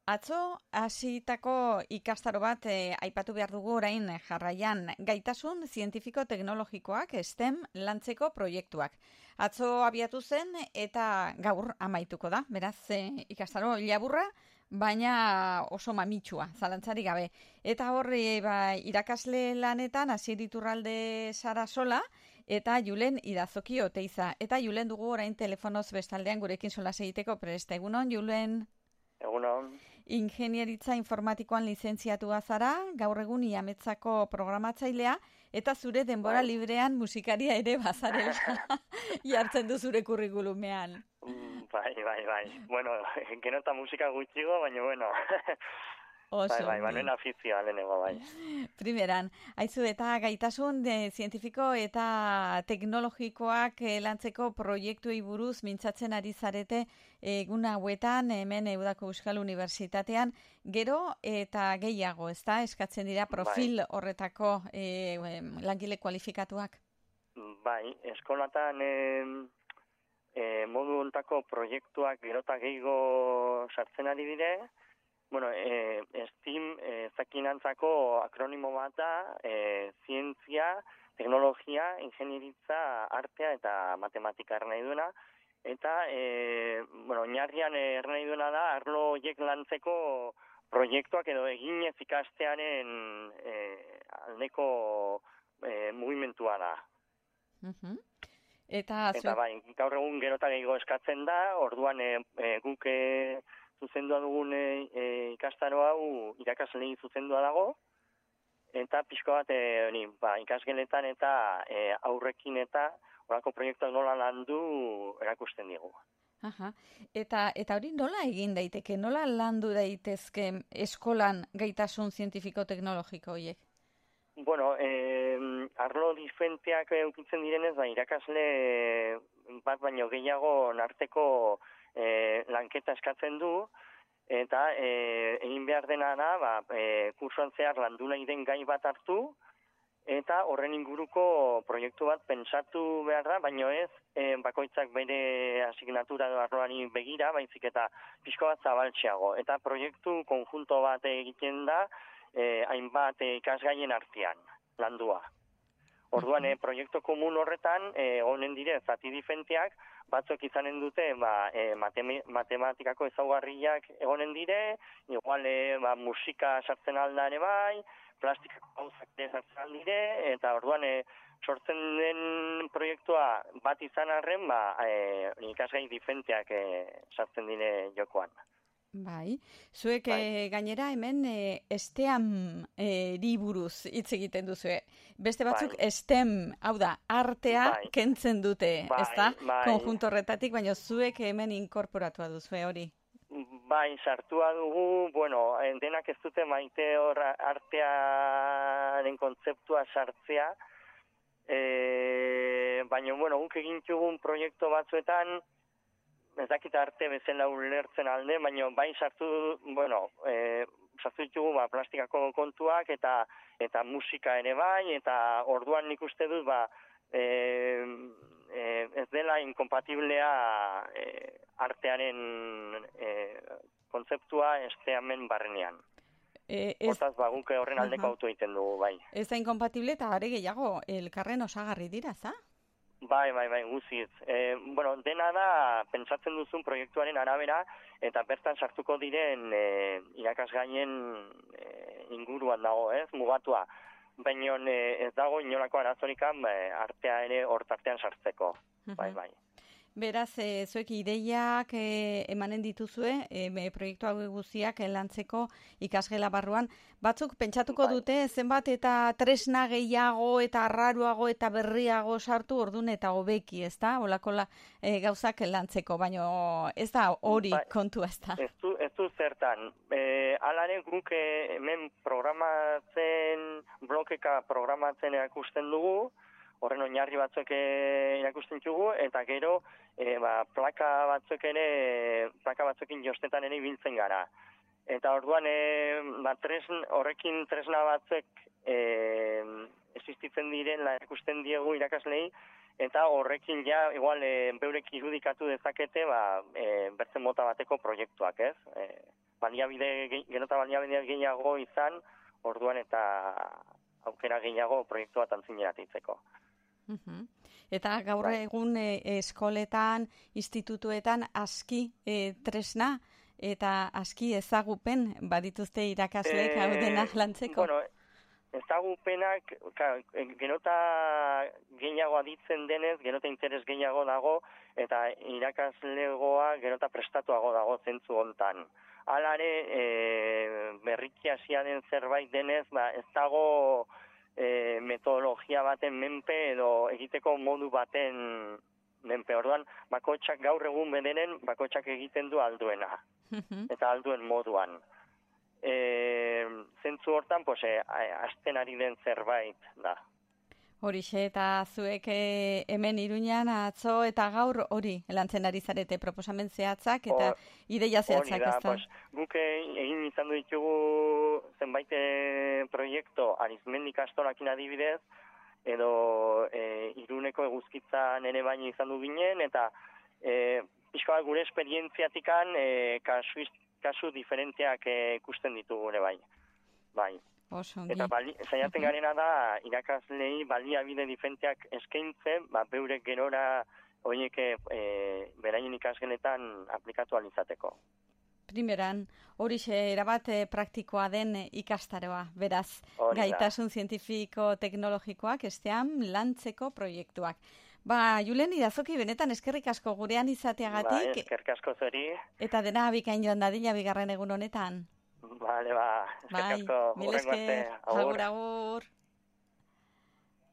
Atzo hasitako ikastaro bat aipatu behar dugu orain jarraian gaitasun zientifiko-teknologikoak STEM lantzeko proiektuak. Atzo abiatu zen eta gaur amaituko da, beraz ikastaro laburra, baina oso mamitsua, zalantzarik gabe. Eta horri irakasle lanetan Asier Iturralde Sarasola eta Julen Idazoki Oteiza. Eta Julen dugu orain telefonoz bestaldean gurekin solas egiteko prest. Egunon, Julen? Egunon. Ingenieritza informatikoan lizentziatua zara, gaur egun Iametzako programatzailea, eta zure denbora librean musikaria ere bazarela jartzen du zure kurrikulumean. Bai. Bueno, gero eta musika gutxigo, baina bueno. Bai, nuen afizioa lehenengo, bai. Primeran, haizu eta gaitasun zientifiko eta teknologikoak lantzeko proiektuei buruz mintzatzen ari zarete egun hauetan, hemen Eudako Euskal Unibertsitatean, gero eta gehiago, ezta? Eskatzen dira profil horretako langile kualifikatuak? Bai, eskolatan modu ontako proiektuak gero eta gehiago sartzen ari dire. Bueno, STEAM zakinantzako akronimo bat da, zientzia, teknologia, ingenieritza, artea eta matematika nahi duena. Eta, oinarrian nahi duena da, arlo horiek lantzeko proiektuak edo eginez ikastearen aldeko mugimentua da. Eta bai, gaur egun gero eta gehiago eskatzen da, orduan guk zuzendua dugun ikastaro hau irakaslei zuzendua dago, eta pixko bat ikasgeletan eta aurrekin eta horako proiektuak nola landu erakusten digu. Eta hori nola egin daiteke, nola landu daitezke eskolan gaitasun zientifiko-teknologiko horiek? Bueno, arlo diferenteak eukitzen direnez, irakasle bat baino gehiago narteko lanketa eskatzen du, eta egin behar dena da, kursoan zehar landu nahi den gai bat hartu, eta horren inguruko proiektu bat pentsatu behar da, baino ez bakoitzak bere asignatura edo arloari begira, baizik eta pixko bat zabaltxeago. Eta proiektu konjunto bat egiten da, hainbat ikasgaien artean, landua. Orduan, proiektu komun horretan, honen dire, zati diferenteak, batzuk izanen dute matematikako ezaugarriak egonen dire, igual musika sartzen alda ere bai, plastikako gauzak ere sartzen aldire, eta orduan sortzen den proiektua bat izan arren, ikasgai diferenteak sartzen dire jokoan. Bai, zuek gainera hemen STEAM buruz hitz egiten duzue. Beste batzuk STEM, hau da, artea kentzen dute, ezta? Konjunto horretatik, baina zuek hemen inkorporatua duzue hori. Bai, sartua dugu, bueno, denak ez dute maite hor artearen kontzeptua sartzea, baina, bueno, guk egin dugun proiektu batzuetan, ez dakit arte bezala ulertzen alde, baina bai sartu ditugu plastikako kontuak eta musika ere bai, eta orduan nik uste dut ez dela inkompatiblea artearen kontzeptua STEAMen barrenean. Hortaz, guk horren aldeko auto egiten dugu, bai. Ez da inkompatible eta are gehiago, elkarren osagarri dira, za? Bai, guziz. Dena da, pentsatzen duzun proiektuaren arabera, eta bertan sartuko diren irakasgaien inguruan dago, mugatua. Baina ez dago inolako arazorikan artea ere hortartean sartzeko. Bai. Beraz, zuek ideiak emanen dituzue, proiektu hau guztiak lantzeko ikasgela barruan. Batzuk pentsatuko dute zenbat eta tresna gehiago eta arraruago eta berriago sartu ordun eta hobeki, ezta? Holako gauzak lantzeko, baina ez da hori kontua, ezta? Ez du zertan. Alare guk hemen blokeka programatzen erakusten dugu, horren oinarri batzuk erakusten dugu, eta gero plaka batzuekin jostetan ere ibiltzen gara. Eta orduan horrekin tresna batzuk existitzen diren erakusten diegu irakaslei, eta horrekin beurek irudikatu dezakete bertzen mota bateko proiektuak, ez? gero eta baliabide gehiago izan, orduan eta aukera gehiago proiektu bat antzineratitzeko. Eta gaur egun eskoletan, institutuetan aski tresna eta aski ezagupen badituzte irakasleek hau dena lantzeko? Bueno, ezagupenak gero eta gehiago aditzen denez, gero eta interes gehiago dago, eta irakaslegoa gero eta prestatuago dago zentzu hontan. Halare, berriki hasia den zerbait denez, ez dago metodologia baten menpe edo egiteko modu baten menpe. Orduan, bakotxak gaur egun bederen, bakotxak egiten du alduena. Eta alduen moduan. Zentzu hortan, azten ari den zerbait da. Horixe, eta zuek hemen Iruñan atzo eta gaur hori lantzen ari zarete proposamen zehatzak eta ideia zehatzak, ez da? Guk egin izan ditugu zenbait proiektu Arizmendi ikastorakin adibidez, edo Iruneko eguzkitzan ere baino izan du ginen, eta pixka bat gure esperientziatikan kasu diferenteak ikusten ditugu ere bai. Bai. Eta saiatzen garena da irakaslei baliabide diferenteak eskaintzen, beurek gerora horiek beraien ikasgeletan aplikatu alizateko. Primeran, horixe erabat praktikoa den ikastaroa, beraz, gaitasun zientifiko teknologikoak estean lantzeko proiektuak. Julen Irazoki, benetan eskerrik asko gurean izateagatik. Eskerrik asko zuri. Eta dena bikain joan dadila bigarren egun honetan. Eskerrik asko. Mil esker, agur.